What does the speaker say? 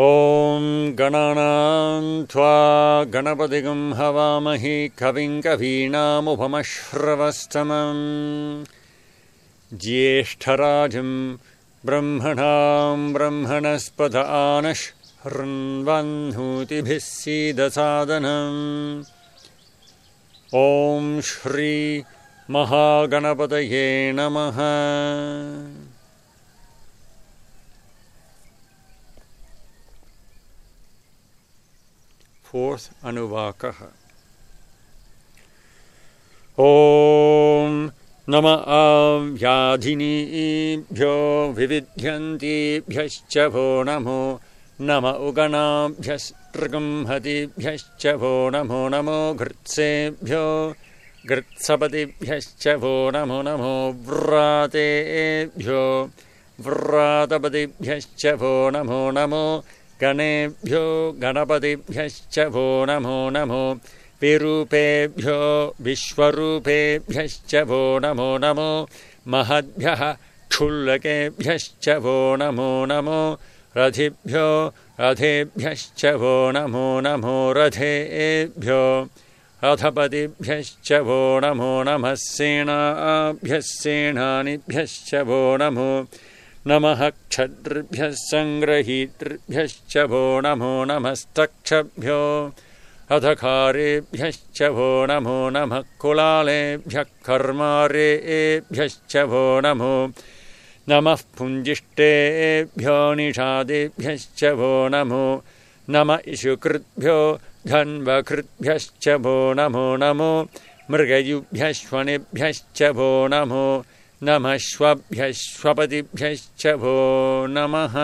ॐ गणानां त्वा गणपतिगं हवामहि कविं कवीनामुपमश्रवस्तमम् ज्येष्ठराजं ब्रह्मणां ब्रह्मणस्पत आनशृण्वन्नोतिभिः सीदसादनम् ॐ श्री महागणपतये नमः। Fourth Anuvakah. Om Nama Avyadhinibhyo Vividhyantibhyascha Vo Namo Nama Uganabhyastrgamhatibhyascha Vo Namo Namo Gritsebhyo Gritsapatibhyascha Vo Namo Namo Vratebhyo Vratapatibhyascha Vo Namo Namo गणेभ्यो गणपतिभ्यश्च वो नमो नमो विरूपेभ्यो विश्वरूपेभ्यश्च वो नमो नमो महद्भ्यः क्षुल्लकेभ्यश्च वो नमो नमो रथिभ्यो रथेभ्यश्च वो नमो नमो रथेभ्यो रथपतिभ्यश्च वो नमो नमः सेनाभ्यः सेनानिभ्यश्च वो नमो नमः क्षत्रिभ्यः सङ्ग्रहीतृभ्यश्च वो नमो नमस्तक्षभ्यो अधकारेभ्यश्च वो नमो नमः कुलालेभ्यः कर्मारेभ्यश्च वो नमो नमः पुञ्जिष्टेभ्यो निषादेभ्यश्च वो नमो नम इषुकृद्भ्यो धन्वकृद्भ्यश्च वो नमो नमो मृगयुभ्यश्वनेभ्यश्च वो नमो नमः श्वभ्यः श्वपतिभ्यश्च वो नमः।